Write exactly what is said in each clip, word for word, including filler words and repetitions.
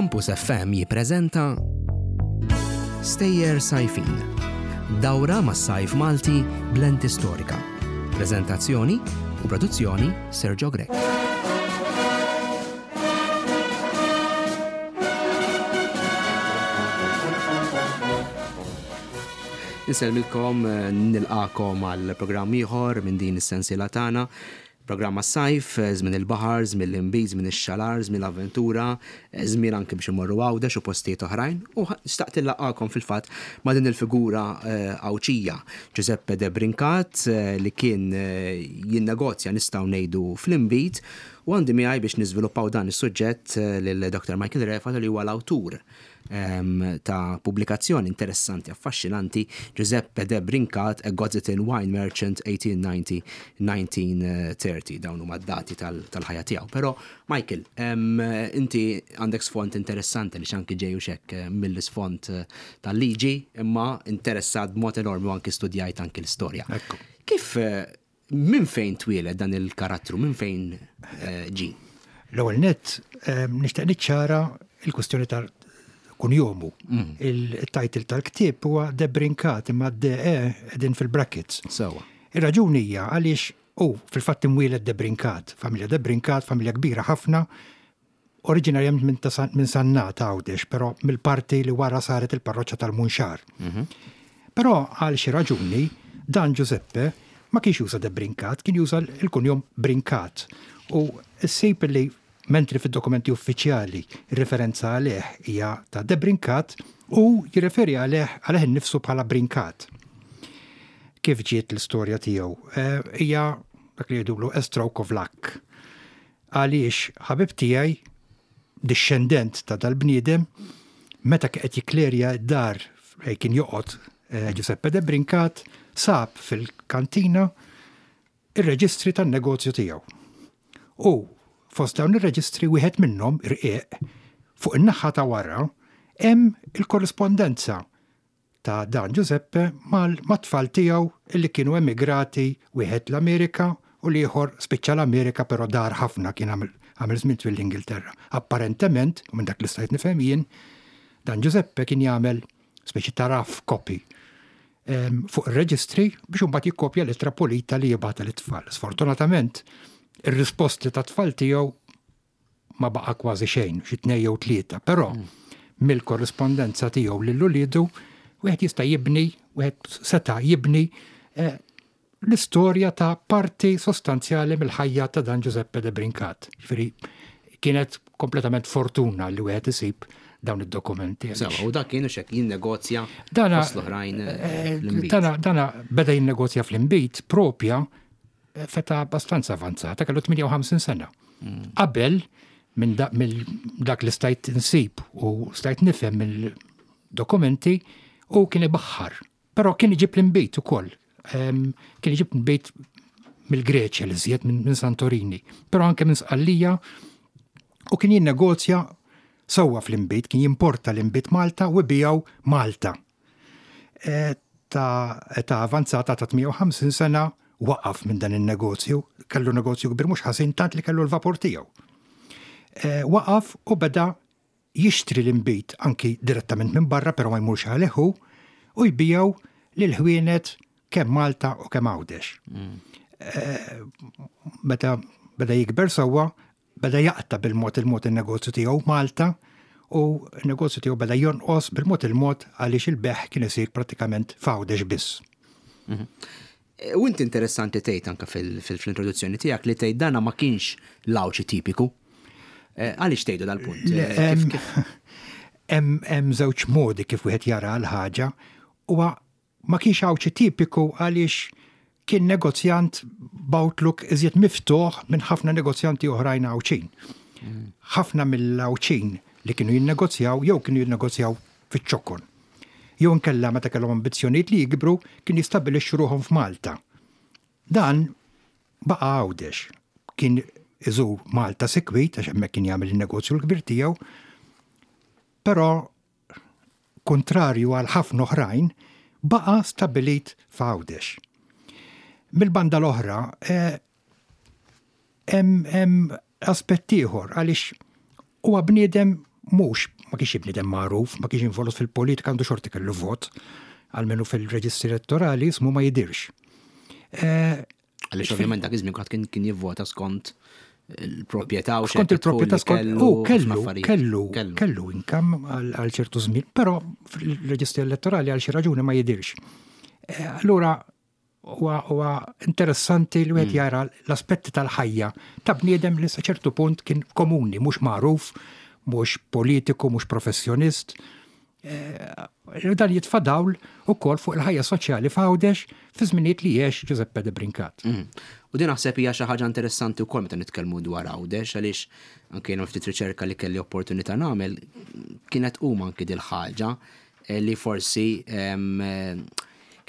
Campus F M jippreżenta Stejjer Sajfin. Dawra mas-sajf Malti b'lenti storika. Preżentazzjoni u produzzjoni Sergio Grech. Insellmilkom, nilqagħkom għal programm ieħor minn din is-sensiela tagħna. Programma sajf, żmien il-baħar, żmien l-inbid, żmien ix-xalar, żmien l-avventura, żmien anke biex imorru Għawdex u postijiet oħrajn. U xtaqt nlaqqagħkom fil-fatt ma' din il-figura Għawdxija, Giuseppe De Brincat, li kien jinnegozja, nistgħu ngħidu, fl-inbid, u għandi miegħi biex niżviluppaw dan is-suġġett lil Doctor Michael Refalo, li huwa l-awtur ta' pubblikazzjoni interessanti, affaxxinanti, Giuseppe De Brincat, A Gozitan Wine Merchant eighteen ninety nineteen thirty. Dawn huma d-dati tal-ħajja tiegħu. Però Michael, inti għandek sfond interessanti li anki ġej xek mill-isfond tal-liġi, imma interessat b'mod enormi u anki studjajt anki l-istorja. Kif, minn fejn twieled dan il-karattru, minn fejn ġi? L-ewwel nett nixtieq niċċara il-kwestjoni tal kunjomu. Mm. Il-title tal-ktieb huwa De Brincat, imma D E qegħdin fil-brackets. Sewa. Ir-raġuni hija għaliex u fil-fatt imwieled De Brincat, familja De Brincat, familja kbira ħafna, oriġinarjament minn min Sannat Għawdex, però mill-parti li wara saret il-parroċċa tal-Munxar. Mm -hmm. Però għal xi raġuni dan Giuseppe ma kienx juża De Brincat, kien juża il-kunjom Brincat. U ssib li mentri fid-dokumenti uffiċjali referenza għalih hija ta' De Brincat, u jirreferi għalih għalih innifsu bħala Brincat. Kif ġiet l-istorja tiegħu? Hija dak li jgħidulu a stroke of luck. Għaliex ħabib tiegħi, discendent ta' dal-bniedem, meta qed jiklerja d-dar kien joqgħod Giuseppe De Brincat, sab fil-kantina ir-reġistri tan-negozju tiegħu. U fost dawn ir-reġistri, wieħed minnhom irqiq fuq in-naħa ta' wara, hemm il-korrispondenza ta' dan Giuseppe mal-tfal tiegħu illi kienu emigrati, wieħed l-Amerika u l-ieħor spiċċa l-Amerika però dar ħafna, kien għamel żmien twil l-Ingilterra. Apparentement, u minn dak li stajt nifhem jien, dan Giuseppe kien jagħmel speċi ta' rough copy fuq ir-reġistri biex imbagħad jikkopja l-ittra pulita li jibgħatha lit-tfal. Sfortunatament, ir-risposti ta' tfal tiegħu ma baqa' kważi xejn, xi tnejn jew tlieta, però mill-korrispondenza tiegħu lil uliedu wieħed jista' jibni, wieħed seta' jibni eh, l-istorja ta' parti sostanzjali mill-ħajja ta' dan Giuseppe De Brincat. Ġifieri kienet kompletament fortuna li wieħed isib dawn id-dokumenti. Sewa, u dak kienu xek jinnegozja fost l-oħrajn eh, l-inbid. Dana, dana beda jinnegozja fl-inbid propja eh, f'età abbastanza avanzata, kellu tmienja u ħamsin sena. Qabel, minn da, mill dak li stajt insib u stajt nifhem mill-dokumenti, u kien ibaħħar. Però kien iġib l-inbid ukoll. Em, Kien iġib l-inbid mill-Greċja li żjed minn min Santorini, però anke minn Sqallija, u kien jinnegozja sewwa fl-inbid, kien jimporta l-inbid Malta u jbigħu Malta. E, ta' età avanzata ta' tmienja u ħamsin sena waqaf minn dan il-negozju, kellu negozju kbir mhux ħażin, tant li kellu l-vapur tiegħu. E, waqaf u beda jixtri l-inbid anki direttament minn barra, però ma jmurx għalih hu, u jbigħu lil ħwienet kemm Malta u kemm Għawdex. E, Meta beda jikber sewwa, beda jaqta bil-mod il-mod il-negozju tiegħu Malta, u il-negozju tiegħu beda jonqos bil-mod il-mod għaliex il-bejgħ kien isir pratikament f'Għawdex biss. U inti interessanti tgħid anke fil-introduzzjoni tiegħek li tgħid dana ma kienx l-Għawdxi tipiku. Eh, Għaliex tgħidu dal-punt? Le, Eh, hemm- Kif kif? Hemm hemm żewġ modi kif wieħed jara l-ħaġa. Huwa ma kienx Għawdxi tipiku għaliex kien negozjant b'outlook iżjed miftuħ minn ħafna negozjanti oħrajn Għawdxin. Ħafna mill-Għawdxin li kienu jinnegozjaw jew kienu jinnegozjaw fiċ-ċokon. Jew inkella meta kellhom ambizzjonijiet li jikbru kien jistabbilixxu ruħhom f'Malta. Dan baqa' Għawdex. Kien iżur Malta sikwit għax hemmhekk kien jagħmel il-negozju l-kbir tiegħu, però kontrarju għal ħafna oħrajn, baqa' stabilit f'Għawdex. Mill-banda l-oħra, eh, hemm hemm aspett ieħor għaliex huwa bniedem Mhux ma kienx bniedem magħruf, ma kienx involut fil-politika, għandu xorti kellu vot, almenu fil-reġistri elettorali ismu ma jidirx. Eh, Għaliex ovvjament dak iż-żmien kien kien jivvota skont il-proprjetà u skont il-proprjetà, skont u kellu kellu kellu income għal ċertu żmien, però fil-reġistri elettorali għal xi raġuni ma jidirx. Eh, allura huwa interessanti li wieħed mm. jara l-aspetti tal-ħajja ta' bniedem li sa ċertu punt kien komuni, mhux magħruf, mhux politiku, mhux professjonist. Eh, dan jitfa' dawl ukoll fuq il-ħajja soċjali f'Għawdex fi żminijiet li għex Giuseppe de Brincat. Mm. U din naħseb hija xi ħaġa interessanti wkoll meta nitkellmu dwar Għawdex, għaliex anke jiena ftit riċerka li kelli opportunità nagħmel kienet huma anke dil-ħaġa eh, li forsi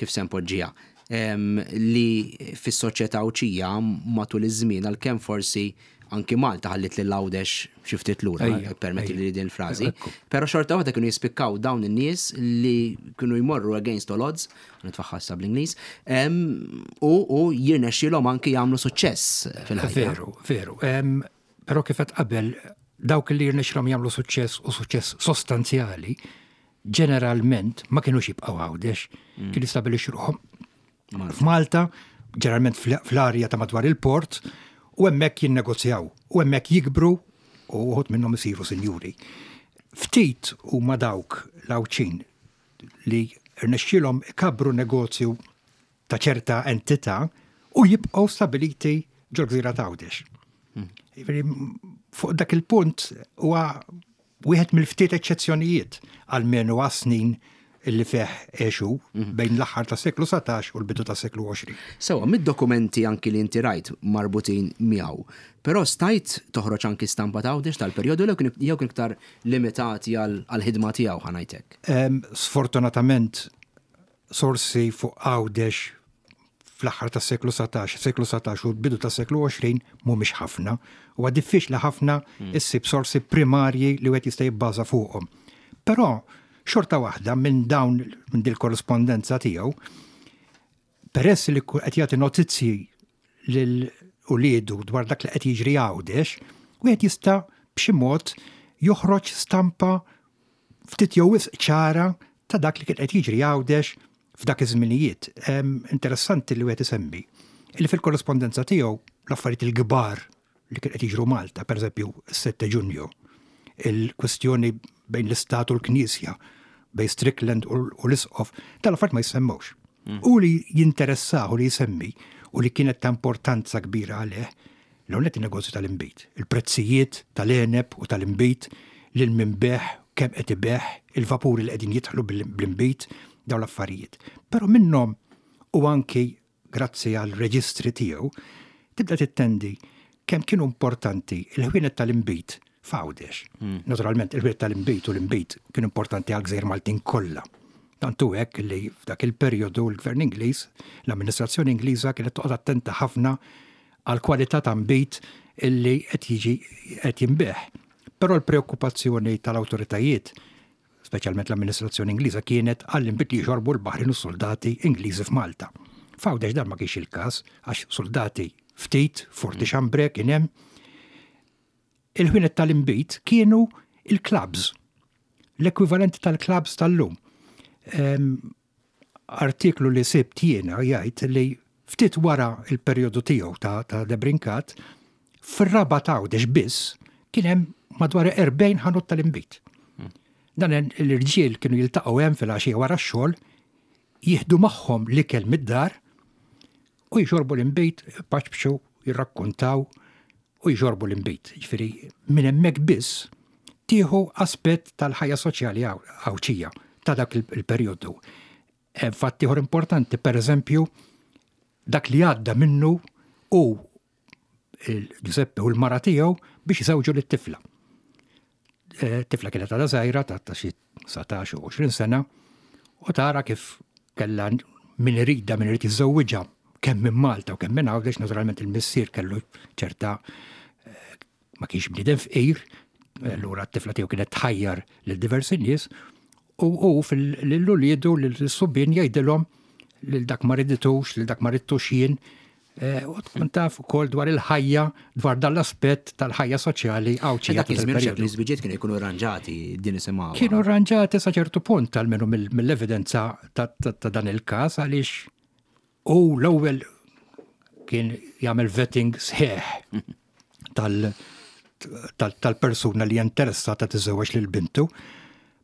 kif se npoġġiha, li fis-soċjetà Għawdxija matul iż-żmien, għalkemm forsi anki Malta ħallit lil Għawdex xi ftit lura, permetti li din il-frażi, però xorta waħda kienu jispikkaw dawn in-nies li kienu jmorru against all odds, nitfaħħassa bl-Ingliż, u u jirnexxielhom anki jagħmlu suċċess fil-ħajja. Veru, veru. Però kif qabel, dawk li jirnexxielhom jagħmlu suċċess u suċċess sostanzjali, ġeneralment ma kienux jibqgħu Għawdex, mm. kienu jistabilixxu ruħhom f'Malta, ġeneralment fl-arja ta' madwar il-port, u hemmhekk jinnegozjaw, u hemmhekk jikbru u uħud minnhom isiru sinjuri. Ftit huma dawk l-Għawdxin li rnexxielhom ikabru negozju ta' ċerta entità u jibqgħu stabiliti ġol-gżira ta' Għawdex. Hmm. Fuq dak il-punt huwa wieħed mill-ftit eċċezzjonijiet, għalmenu għas-snin illi fih għexu mhm. bejn l-aħħar ta' seklu satax u l-bidu ta' seklu għoxrin. Sewa, mid-dokumenti anki li inti rajt marbutin miegħu, però stajt toħroġ anki stampa ta' Għawdex tal-perjodu jew kien iktar limitati għall-ħidma tiegħu, ħa ngħidlek? Sfortunatament, sorsi fuq Għawdex fl-aħħar tas-seklu satax, seklu satax u l-bidu tas-seklu għoxrin mhumiex ħafna. Huwa diffiċli ħafna hmm. issib sorsi primarji li wieħed jista' jibbaża fuqhom. Però xorta waħda minn dawn minn dil korrespondenza tiegħu, peress li qed jagħti notizzji lil uliedu dwar dak li qed jiġri Għawdex, wieħed jista' b'xi mod joħroġ stampa ftit jew wisq ċara ta' dak li kien qed jiġri Għawdex f'dak iż-żminijiet. Interessanti li wieħed isemmi li fil-korrespondenza tiegħu l-affarijiet il-kbar li kien qed jiġru Malta, pereżempju s-sette Ġunju, il-kwestjoni bejn l-Istat u l-Knisja, bejn Strickland u l-Isqof, tal-affarijiet ma jissemmewx. Mm. U li jinteressahu li jsemmi u li kienet ta' importanza kbira għalih, l-għonet il-negozju tal-imbit, il-prezzijiet tal-għeneb u tal-imbit, lil min beħ, kemm qed ibeħ, il-vapuri li qegħdin jidħlu bl-imbit, dawn l-affarijiet. Però minnhom u anki grazzi għal reġistri tiegħu, tibda tittendi kemm kienu importanti il-ħwienet tal-imbit f'Għawdex. Hmm. Naturalment, il-ħwienet tal-imbit u l-imbit kienu importanti għal gżejjer Maltin kollha. Tantu hekk li f'dak il-perjodu l-Gvern Ingliż, l-amministrazzjoni Ingliża kienet toqgħod attenta ħafna għal kwalità ta' mbit illi qed jiġi qed jinbigħ. Però l-preokkupazzjoni tal-awtoritajiet, speċjalment l-amministrazzjoni Ingliża, kienet għall-imbit li jxorbu l-baħrin u soldati Ingliżi f'Malta. F'Għawdex dan ma kienx il-każ, għax soldati ftit, Forti Chambray kien hemm. Il-ħwienet tal-imbit kienu il-clubs, l-ekwivalenti tal-clubs tal-lum. Artiklu li sibt jiena jgħid li ftit wara il-perjodu tiegħu ta', ta' Debrincat, fir-Rabat Għawdex biss kien hemm madwar erbgħin ħanut tal-imbit. Dan l-irġiel kienu jiltaqgħu hemm fil-għaxija wara x-xogħol, jieħdu magħhom l-ikel mid-dar u jxorbu l-imbit, paċbxu, jirrakkontaw u jxorbu l-imbit. Ġifieri minn hemmhekk biss tieħu aspett tal-ħajja soċjali Għawdxija ta' dak il-perjodu. Fatt ieħor importanti, per eżempju, dak li għadda minnu u Giuseppe u l-mara tiegħu biex jżewġu lit-tifla. Tifla kienet għadha żgħira ta' xi satax u għoxrin sena u tara kif kellha min iridha, min irid jiżżewwiġha kemm minn Malta u kemm minn Għawdex. Naturalment il-missier kellu ċerta, ma kienx bniedem fqir, allura t-tifla tiegħu kienet tħajjar lil diversi nies u hu lil uliedu lil subbien jgħidilhom lil dak ma riditux, lil dak ma ridtux jien, Eh, u tkun taf ukoll dwar il-ħajja, dwar dan l-aspett tal-ħajja soċjali Għawdxija. Dak iż-żmien li żwiġiet kienu jkunu arranġati, din isimgħu. Kienu arranġati sa ċertu punt, almenu mill-evidenza ta' dan il-każ, għaliex u l-ewwel kien jagħmel vetting sħiħ tal-persuna li interessata tiżewweġ lil bintu.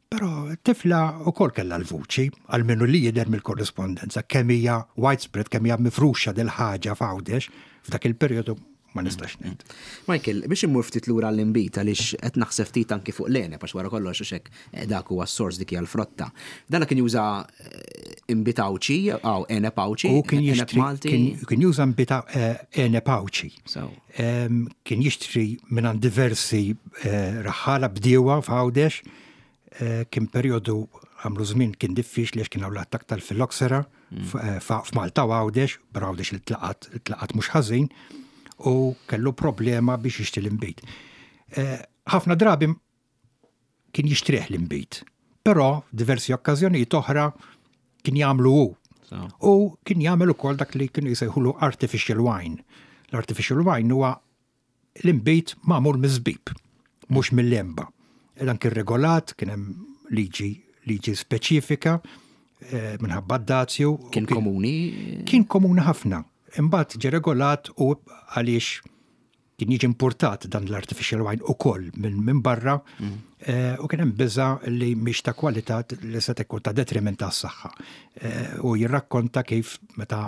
Però tifla ukoll kellha l-vuċi, almenu li jidher mill-korrispondenza, kemm hija widespread, kemm hija mifruxa dil-ħaġa f'Għawdex f'dak il-perjodu, ma nistax ngħid. Michael, biex immur ftit lura l-inbid, għaliex qed naħseb ftit anki fuq l-għeneb, għax wara kollox hekk eh, dak huwa s-sors, dik hija l-frotta. Dan kien juża eh, inbid Għawdxi, aw għeneb Għawdxi, U kien jixtri kien juża inbid għeneb Għawdxi. Kien jixtri minn diversi eh, raħħala, bdiewa f'Għawdex. Eh, kien periodu, għamlu żmien kien diffiċli għax kien hawn l-attak tal-filoxera mm. eh, f'Malta u Għawdex, però Għawdex li tlaqat, tlaqat mhux ħażin, u kellu problema biex jixtri l-inbid. Eh, ħafna drabi kien jixtrih l-inbid, però diversi okkażjonijiet oħra kien jagħmlu hu. U kien jagħmel ukoll dak li kienu jsejħulu artificial wine. L-artificial wine huwa l-inbid magħmul miż-żbib, mhux mill-għenba. Dan kien regolat, kien hemm liġi liġi speċifika eh, minħabba d-dazju. Kien komuni? Kien komuni ħafna. Imbagħad ġie regolat u għaliex kien jiġi importat dan l-artificial wine ukoll minn min barra mm. eh, u kien hemm biża li mhix ta' kwalità, li se tkun ta' detriment tas-saħħa. Eh, u jirrakkonta kif meta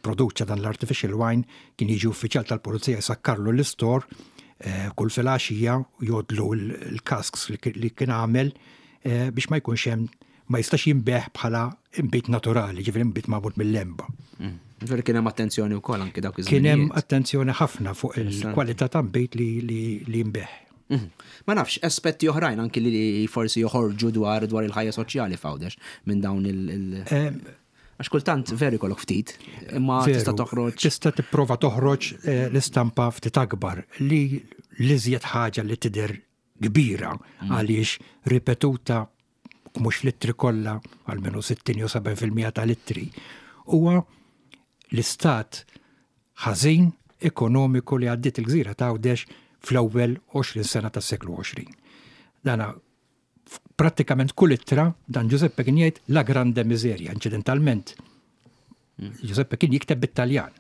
produċa dan l-artificial wine kien jiġi uffiċjal tal-pulizija jsakkarlu l-istor eh, kull filgħaxija, jgħoddlu l-casks li kien għamel biex ma jkunx hemm, ma jistax jinbiegħ bħala inbid naturali, ġifieri inbid magħmul mill-għenba. Mm. Ġifieri kien hemm attenzjoni wkoll anke dawk iż Kien hemm attenzjoni ħafna fuq il-kwalità ta' nbid li li jinbiegħ. Mhm. Ma nafx, aspetti oħrajn anki li forsi joħorġu dwar dwar il-ħajja soċjali f'Għawdex minn dawn il- Għax kultant veru jkollok ftit, imma tista' toħroġ. Tista' tipprova toħroġ eh, l-istampa ftit akbar, li l-iżjed ħaġa li tidher kbira mm. għaliex ripetuta mhux fl-ittri kollha, almenu sittin jew sebgħin fil-mija tal-ittri, huwa l-istat ħażin ekonomiku li għaddiet il-gżira ta' Għawdex fl-ewwel għoxrin sena tas-seklu għoxrin. Dana prattikament kull ittra dan Giuseppe kien jgħid "la grande miseria". Incidentalment, Giuseppe kien jikteb bit-Taljan.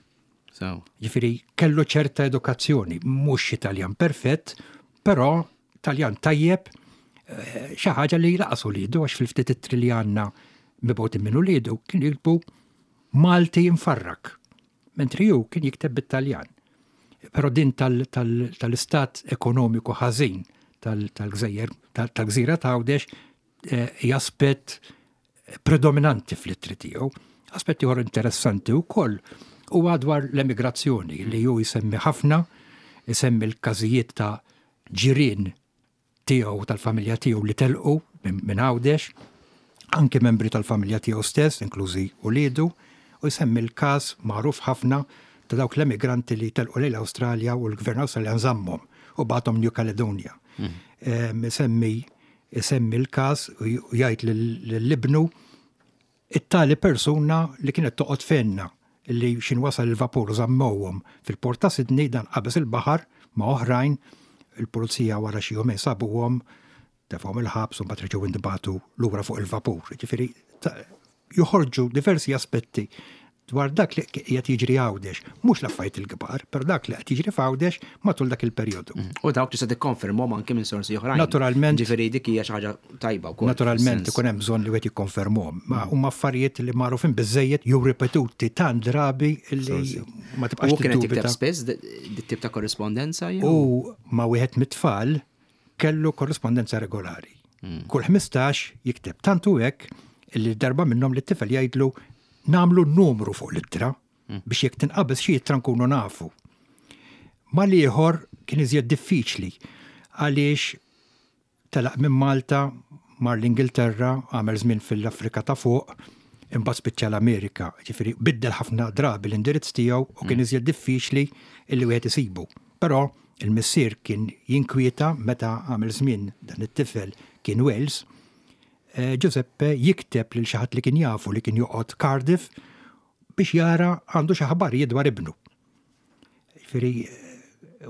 Ġifieri kellu ċerta edukazzjoni, mhux Italjan perfett, però Taljan tajjeb, eh, xi ħaġa li lanqas uliedu, għax fil-ftit ittri li għandna mibgħutin minn uliedu kien jiktbu Malti infarrak. Mentri hu kien jikteb bit-Taljan. Però din tal-istat ekonomiku ħażin tal-gżejjer, tal-gżira ta' Għawdex, eh, hija aspett predominanti fl-ittri tiegħu. Aspett ieħor interessanti wkoll huwa dwar l-emigrazzjoni li hu jsemmi ħafna, jsemmi l-każijiet ta' ġirien tiegħu, tal-familja tiegħu li telqu minn Għawdex, anke membri tal-familja tiegħu stess, inklużi uliedu, u jsemmi l-każ magħruf ħafna ta' dawk l-emigranti li telqu lejn l-Awstralja u l-gvern Awstraljan żammhom u bagħathom New Caledonia. Semmi isemmi l-każ u jgħid lil ibnu, "It-tali persuna li kienet toqgħod fenna li xin wasal il-vapur żammowhom fil-port ta' Sydney, dan qabeż il-baħar ma' oħrajn, il-pulizija wara xi jumejn sabuhom, tefgħuhom il-ħabs u mbagħad reġgħu intbagħtu lura fuq il-vapur." Ġifieri joħorġu diversi aspetti dwar dak li qed jiġri Għawdex, mhux l-affarijiet il-kbar, però dak li qed jiġri f'Għawdex matul dak il-perjodu. Mm. U dawk tista' tikkonfermhom anke minn sorsi oħrajn. Naturalment. Ġifieri dik hija xi ħaġa tajba wkoll. Naturalment ikun hemm bżonn li wieħed jikkonfermhom, ma huma affarijiet li magħrufin biżejjed jew ripetuti tant drabi li ma tibqax U kienet tikteb spiss dit-tip ta' korrispondenza jew? U ma' wieħed mit-tfal kellu korrispondenza regolari. Mm. Kull ħmistax jikteb, tantu hekk li darba minnhom li t-tifel jgħidlu nagħmlu numru fuq l-ittra mm. biex jekk tinqabeż xi ittra nkunu nafu. Mal-ieħor kien iżjed diffiċli għaliex telaq minn Malta, mar l-Ingilterra, għamel żmien fil-Afrika ta' fuq, imbagħad spiċċa l-Amerika. Ġifieri biddel ħafna drabi l-indirizz tiegħu u kien mm. iżjed diffiċli illi wieħed isibu. Però il-missier kien jinkwieta meta għamel żmien dan it-tifel kien Wales, eh, Giuseppe jikteb lil xi ħadd li kien jafu li kien joqgħod Cardiff biex jara għandu xi aħbarijiet dwar ibnu. Jiġifieri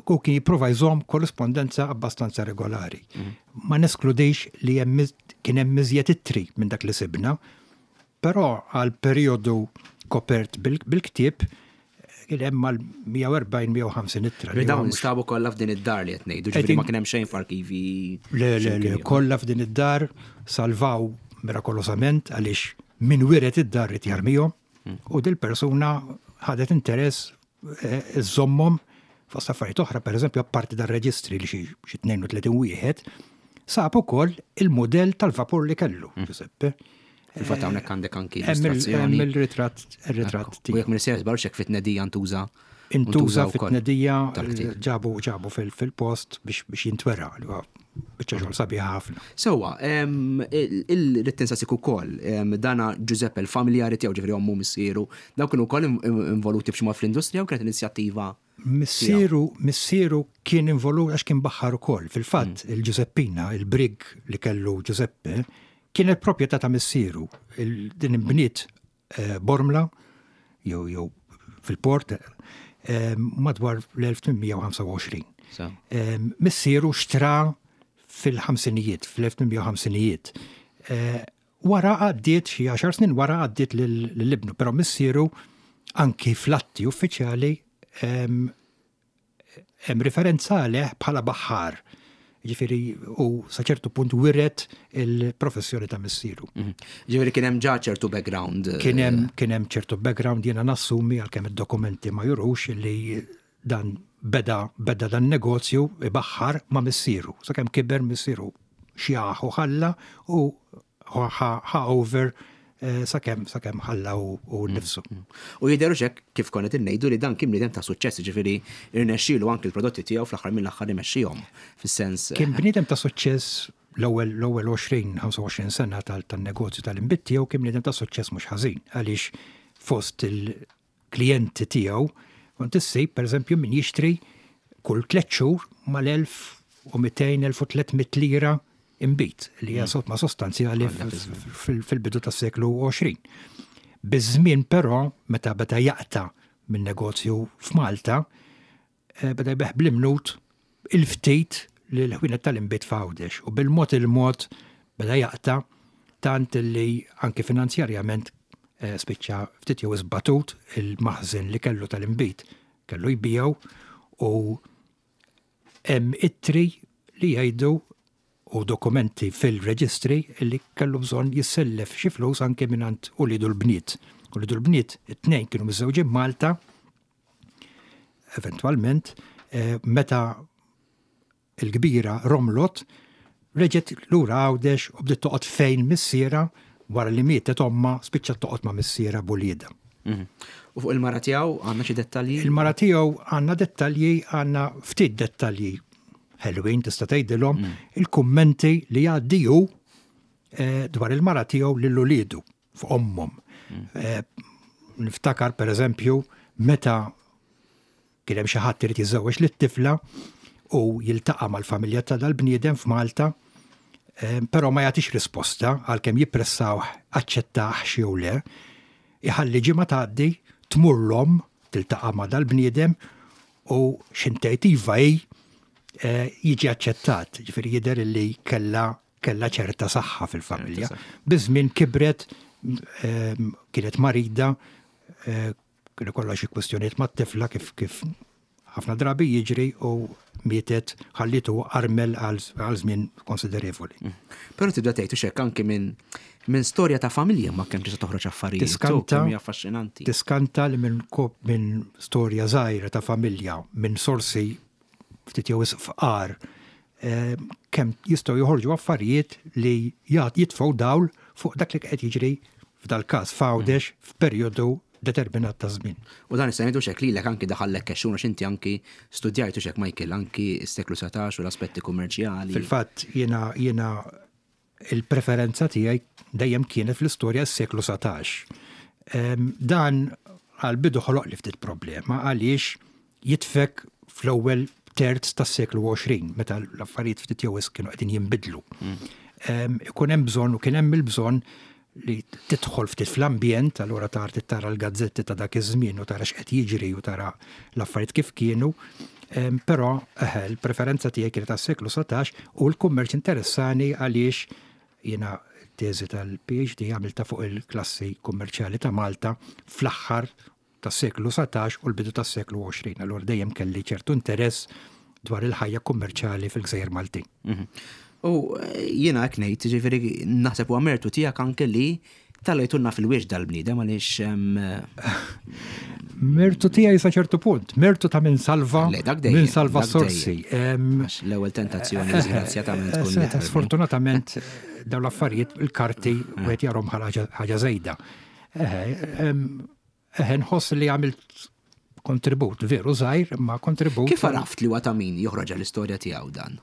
u kien jipprova jżomm korrispondenza abbastanza regolari. Ma neskludix li hemm kien hemm iżjed ittri minn dak li sibna, però għal perjodu kopert bil-ktieb kien hemm mal-mija u erbgħin mija u ħamsin ittra. Li dawn instabu kollha f'din id-dar li qed ngħidu, ġifieri ma kien hemm xejn f'arkivi. Le, le, le, kollha f'din id-dar, salvaw mirakolosament, għaliex min wiret id-dar ried jarmihom u dil-persuna ħadet interess iżommhom fost affarijiet oħra. Pereżempju, apparti dar-reġistri li xi tnejn u tletin wieħed, sab ukoll il-modell tal-vapur li kellu, Giuseppe. Fil-fatt hawnhekk għandek anki Hemm il- hemm il-ritratt ir-ritratt U jekk m'iniex żbaljat, fit-tnedija ntuża. Intuża fit-tnedija, tal-ktieb. ġabu ġabu fil-post biex biex jintwera li huwa biċċa xogħol sabiħa ħafna. Sewwa, irrid insaqsik ukoll, dana Giuseppe, il-familjari tiegħu, ġifieri ommu, missieru, dawn kienu wkoll involuti b'xi mod fl-industrija u kienet inizjattiva? Missieru, missieru kien involut għax kien baħħar ukoll. Fil-fatt, il-Giuseppina, il-brig li kellu Giuseppe, kienet proprjetà ta' missieru. Il- Din imbniet eh, Bormla, jew jew fil-port, eh, madwar l-elf tmien mija u ħamsa u għoxrin. Sa. Eh, Missieru xtra fil-ħamsinijiet, fl-elf tmien mija u ħamsinijiet. Eh, Wara għaddiet, xi għaxar snin wara għaddiet lil ibnu, però missieru anki fl-atti uffiċjali em, hemm referenza għalih bħala baħħar. Ġifieri u sa ċertu punt wiret il-professjoni ta' missieru. Mhm. Ġifieri kien hemm ġa ċertu background. eh, Kien hemm kien hemm ċertu background. Jiena nassumi, għalkemm id-dokumenti ma jurux, li dan beda beda dan negozju ibaħħar ma' missieru. Sakemm kiber missieru, xjaħ u ħalla u ħa ħa over eh, sakemm sakemm ħalla u u nnifsu. U jidher hekk kif konna ngħidu li dan kien bniedem ta' suċċess, ġifieri irnexxielu anki l-prodotti tiegħu fl-aħħar mill-aħħar imexxihom. Fis-sens. Kien bniedem ta' suċċess l-ewwel l-ewwel għoxrin ħamsa u għoxrin sena tal-negozju tal-inbid tiegħu. Kien bniedem ta' suċċess mhux ħażin, għaliex fost il-klijenti tiegħu kont issib, pereżempju, min jixtri kull tliet xhur mal-elf u mitejn elf u tliet mitt lira inbid, li hija somma sostanzjali fil-bidu tas-seklu għoxrin. Biż-żmien però, meta beda jaqta' minn negozju f'Malta, eh, beda jbigħ bl-imnut il-ftit li l-ħwienet tal-inbid f'Għawdex u bil-mod il-mod beda jaqta' tant li anki finanzjarjament eh, spiċċa ftit jew batut. Il-maħżen li kellu tal-inbid kellu jbigħu u hemm ittri li jgħidu u dokumenti fil-reġistri li kellu bżonn jissellef xi flus anke mingħand uliedu l-bniet. Uliedu l-bniet it-tnejn kienu miżżewġin Malta, eventwalment, eh, meta il-kbira romlot, reġgħet lura Għawdex u bdiet toqgħod fejn missiera. Wara li mietet omma, spiċċat toqgħod ma' missiera b'uliedha. Mhm. U fuq il-mara tiegħu għandna xi dettalji? Il-mara tiegħu għandna dettalji, għandna ftit dettalji ħelwin tista' tgħidilhom, il-kummenti li jgħaddi hu eh, dwar il-mara tiegħu lil uliedu fuq ommhom. Eh, Niftakar pereżempju meta kien hemm xi ħadd irid jiżżewweġ lit-tifla u jiltaqa' mal-familja ta' dal-bniedem f'Malta, eh, però ma jagħtix risposta għalkemm jippressaw aċċettax jew le, iħalli ġimgħa tgħaddi, tmur l-omm tiltaqa' ma' dal-bniedem u x'ħin tgħid iva hi, eh, jiġi aċċettat. Ġifieri jidher li kella kella ċerta saħħa fil-familja. Biż-żmien kibret, eh, kienet marida, eh, kienu kollha xi kwistjonijiet mat-tifla, kif kif ħafna drabi jiġri, u mietet, ħallitu armel għal għal żmien konsiderevoli. Però tibda tgħid hekk anki minn minn storja ta' familja ma kemm tista' toħroġ affarijiet. Tiskanta. Kemm hija affaxxinanti. Tiskanta li minn kop minn storja żgħira ta' familja, minn sorsi ftit jew fqar, eh, kemm jistgħu joħorġu affarijiet li jgħat jitfgħu dawl fuq dak li qed jiġri f'dal-każ f'Għawdex f'perjodu determinat ta' żmien. U dan issa ngħidu xek lilek anki daħallek kexxun għax inti anki studjajtu xek, Michael, anki s-seklu satax u l-aspetti kummerċjali. Fil-fatt jiena jiena il-preferenza tiegħi dejjem kienet fl-istorja s-seklu satax. Em, Dan għal-bidu ħoloq li ftit problema għaliex jitfek fl-ewwel terz tas-seklu għoxrin, meta l-affarijiet ftit jew kienu qegħdin jinbidlu. Em, Ikun hemm bżonn u kien hemm il-bżonn li tidħol ftit fl-ambjent, allura tara tara l-gazzetti ta' dak iż-żmien u tara x'qed jiġri u tara l-affarijiet kif kienu. Però l-preferenza tiegħi kienet tas-seklu satax u l-kummerċ interessani għaliex jiena teżi tal-P H D għamilta fuq il-klassi kummerċjali ta' Malta fl-aħħar tas-seklu satax u l-bidu tas-seklu għoxrin. Allura dejjem kelli ċertu interess dwar il-ħajja kummerċjali fil-Gżejjer Maltin. Mhm. U jiena hekk ngħid, ġifieri naħseb huwa mertu tiegħek anke li tellajtulna fil-wiex dal-bniedem għaliex Mertu tiegħi sa ċertu punt, mertu ta' min salva, min salva sorsi. L-ewwel tentazzjoni disgrazzjatament tkun. Sfortunatament dawn l-affarijiet, il-karti, wieħed jarahom ħaġa żejda. Eħe, nħoss li għamilt kontribut, veru żgħir, ma kontribut. Kif għaraft li huwa ta' min joħroġ l-istorja tiegħu dan?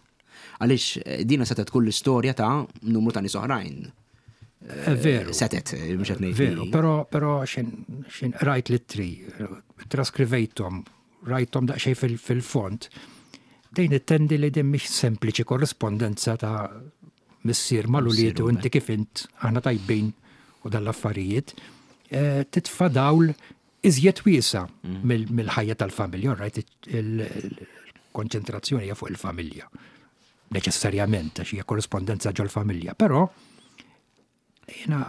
Għaliex eh, dina setgħet tkun l-istorja ta' numru ta' nies oħrajn. Eh, veru. Setgħet, eh, mhux qed ngħid. Veru, però però xin rajt l-ittri, traskrivejthom, rajthom daqsxejn fil-fond. Dejn ittendi li din mhix sempliċi korrespondenza ta' missier mal-ulied u inti kif int, aħna tajbin u dal-affarijiet. Titfa' dawl iżjed wiesa mm. mill-ħajja tal-familja, right? Il-konċentrazzjoni hija fuq il-familja. Neċessarjament, għax hija korrespondenza ġol-familja, però jiena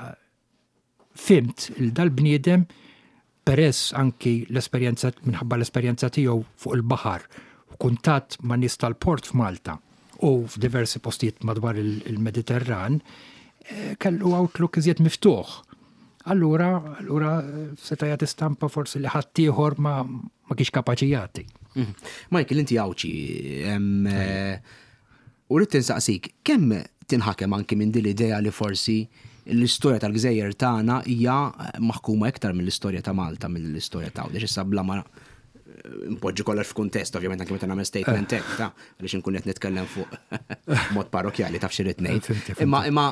fhimt il dal-bniedem peress anki l-esperjenza, minħabba l-esperjenza tiegħu fuq il-baħar u kuntatt ma' nies tal-port f'Malta u f'diversi postijiet madwar il-Mediterran, eh, kellu outlook iżjed miftuħ. Allura, allura seta' jagħti stampa forsi li ħaddieħor ma ma kienx kapaċi jagħti. Mhm. Michael, inti Għawdxi, eh, u rrid tinsaqsik, kemm tinħakem anki minn din l-idea li forsi l-istorja tal-gżejjer tagħna hija maħkuma iktar mill-istorja ta' Malta, mill-istorja ta' Għawdex, issa bla ma npoġġi kollox f'kuntest, ovvjament, anke meta nagħmel statement hekk, ta' għaliex inkun qed nitkellem fuq mod parrokjali, taf xi ngħid. Imma imma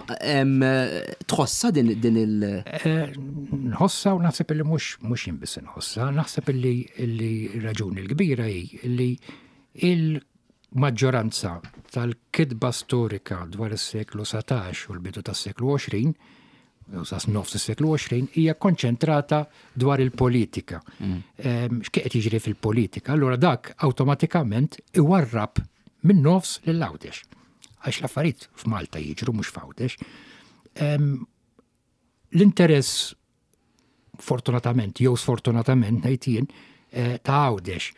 tħossa din din il- eh, Nħossa u naħseb li mhux mhux jien biss nħossa, naħseb li li raġuni l-kbira hi li il-maġġoranza tal-kitba storika dwar is-seklu satax u l-bidu tas-seklu għoxrin, u sa nofs is-seklu għoxrin, hija konċentrata dwar il-politika. Mm. X'qed jiġri fil-politika? Allura dak awtomatikament iwarrab minn nofs lil Għawdex. Għax l-affarijiet f'Malta jiġru, mhux f'Għawdex. L-interess, fortunatament jew sfortunatament ngħid jien, eh, ta' Għawdex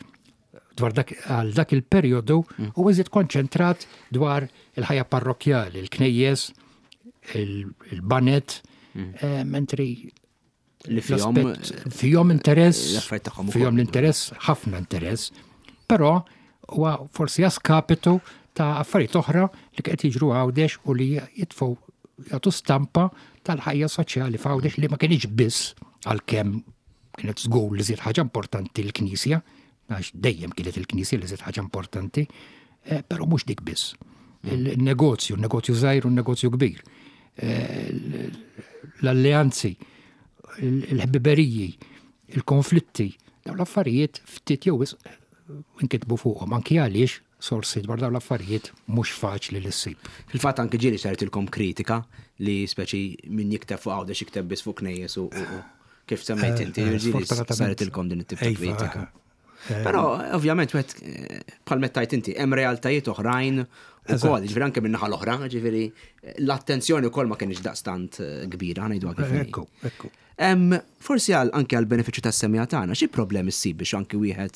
dwar dak, għal dak il-perjodu mm. u iżjed konċentrat dwar il-ħajja parrokjali, il-knejjes, il-baned, mm. eh, mentri li fihom fihom interess, fihom l-interess, ħafna interess, però huwa forsi a skapitu ta' affarijiet oħra li qed jiġru Għawdex u li jitfgħu, jagħtu stampa tal-ħajja soċjali f'Għawdex li ma kienx biss, għalkemm kienet żgur li żied ħaġa importanti l-Knisja, għax dejjem kienet il-Knisja li żied ħaġa importanti, eh, però mhux dik biss. Il-negozju, il-negozju żgħir u n-negozju kbir, eh, l-alleanzi, il-ħbiberiji, il-konflitti, dawn l-affarijiet ftit jew inkitbu fuqhom, anki għaliex sorsi dwar dawn l-affarijiet mhux faċli li ssib. Fil-fatt anki ġieli sartilkom kritika li speċi min jikteb fuq Għawdex jikteb biss fuq knejjes u kif semmejt inti, eh, ġieli sartilkom din it-tip ta' iva, kritika. Però ovvjament wieħed bħal mettajt inti hemm realtajiet oħrajn ukoll, ġifieri anke min-naħa l-oħra, ġifieri l-attenzjoni wkoll ma kienx daqstant kbira, ngħidu kif. Ekku, ekku. Forsi għal anke għal benefiċċju tas-semmiegħa tagħna, xi problemi ssib biex anke wieħed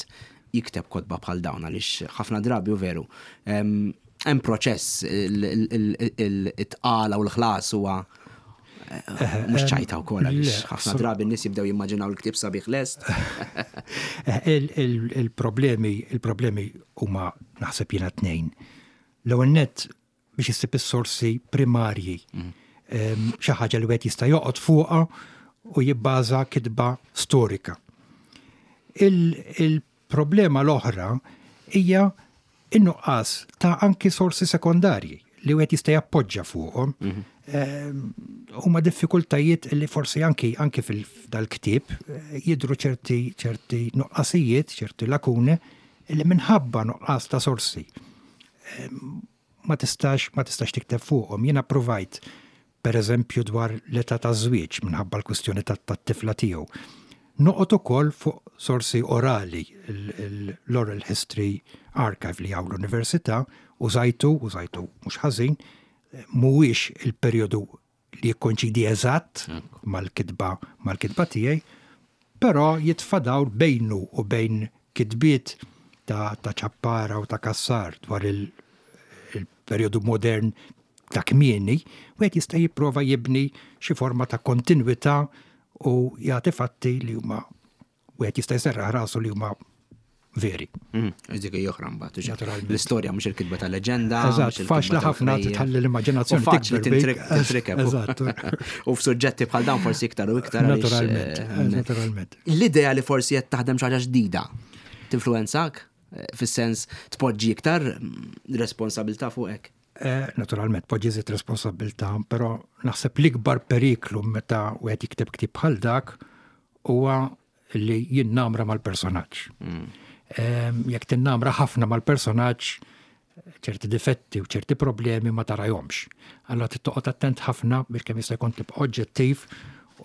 jikteb kotba bħal dawn, għaliex ħafna drabi u veru hemm proċess, it-tqala u l-ħlas huwa mhux ċajta wkoll, għaliex ħafna drabi n-nies jibdew jimmaġinaw il-ktieb sabiħ lest. Il-problemi il-problemi huma, naħseb jiena, tnejn. L-ewwel nett biex issib is-sorsi primarji. Xi ħaġa li wieħed jista' joqgħod fuqha u jibbaża kitba storika. Il-problema l-oħra hija in-nuqqas ta' anki sorsi sekondarji li wieħed jista' jappoġġa fuqhom. Mhm. Huma diffikultajiet li forsi anki anki fil-dal-ktieb eh, jidru ċerti ċerti nuqqasijiet, ċerti lakune li minħabba nuqqas ta' sorsi ma tistax ma tistax tikteb fuqhom. Jiena provajt Per eżempju dwar l-età ta' żwieġ minħabba l-kwistjoni tat-tifla tiegħu. Noqgħod ukoll fuq sorsi orali, l-Oral History Archive li hawn l-Università, użajtu, użajtu mhux ħażin, mhuwiex il-perjodu li jikkoinċidi eżatt mal-kitba mal-kitba tiegħi, però jitfa' dawl bejnu u bejn kitbiet ta' ta' Ċappara u ta' Kassar dwar il-perjodu modern ta' kmieni, wieħed jista' jipprova jibni xi forma ta' kontinwità u jagħti fatti li huma wieħed jista' jserraħ rasu li huma veri. Mm, dik oħra mbagħad. Naturalment. L-istorja mhux il-kitba ta' leġenda. Eżatt, faċli ħafna tħalli l-immaġinazzjoni. Faċli tintrikeb. Eżatt. U f'suġġetti bħal dawn forsi iktar u iktar. Naturalment, eh, naturalment. L-idea li forsi qed taħdem xi ħaġa ġdida tinfluwenzak eh, fis-sens tpoġġi iktar mm, responsabilità fuqek. Eh, naturalment, poġġi żied responsabilità, però naħseb l-ikbar periklu meta wieħed jikteb ktieb bħal dak huwa li jinnamra mal-personaġġ. Mm. Jekk tinnamra ħafna mal-personaġġ, ċerti difetti u ċerti problemi ma tarahomx. Allora trid attent ħafna biex kemm jista' jkun tibqa' oġġettiv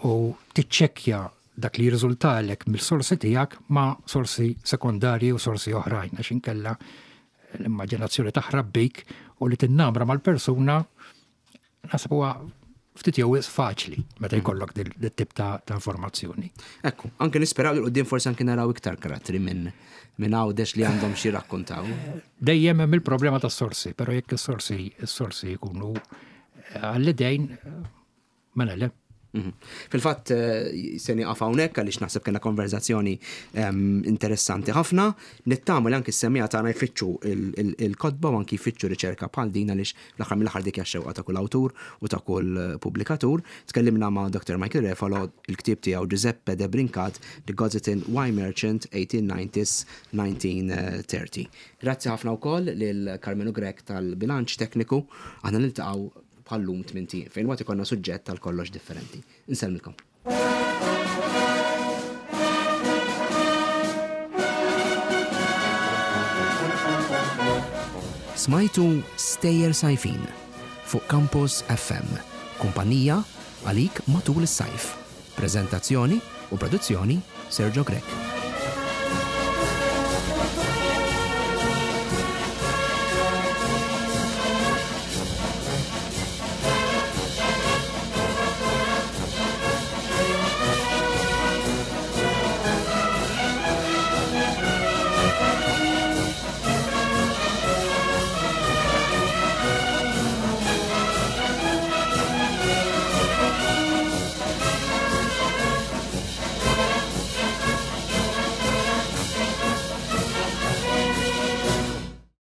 u tiċċekkja dak li jirriżultalek mill-sorsi tiegħek ma' sorsi sekondarji u sorsi oħrajn għax inkella l-immaġinazzjoni taħrab bik u li tinnamra mal-persuna naħseb huwa ftit jew faċli meta mm. jkollok dit-tip ta' informazzjoni. Ekku, anke nisperaw li quddiem forsi anke naraw iktar karattri minn minn Għawdex li għandhom xi rakkontaw. Dejjem hemm il-problema tas-sorsi, però jekk is-sorsi is-sorsi jkunu għall-idejn mela le. Mhm. Fil-fatt eh, se nieqaf hawnhekk għaliex naħseb kellna konverzazzjoni ehm, interessanti ħafna. Nittama li anki s-semmiegħa tagħna jfittxu il-kotba u anki jfittxu riċerka bħal din għaliex l-aħħar mill-aħħar dik xewqa ta' kull awtur u ta' kull eh, pubblikatur. Tkellimna ma' Dr. Michael Refalo il-ktieb tiegħu Giuseppe de Brincat, The Gozitan Wine Merchant eighteen nineties nineteen thirty. Grazzi ħafna wkoll lil Carmenu Grech tal-bilanċ tekniku. Aħna niltaqgħu bħal-lum tmint ijiem, fejn waqt ikollna suġġett tal kollox differenti. Insellmilkom. Smajtu Stejjer Sajfin fuq Campus F M, kumpanija għalik matul is-sajf. Prezentazzjoni u produzzjoni Sergio Grech.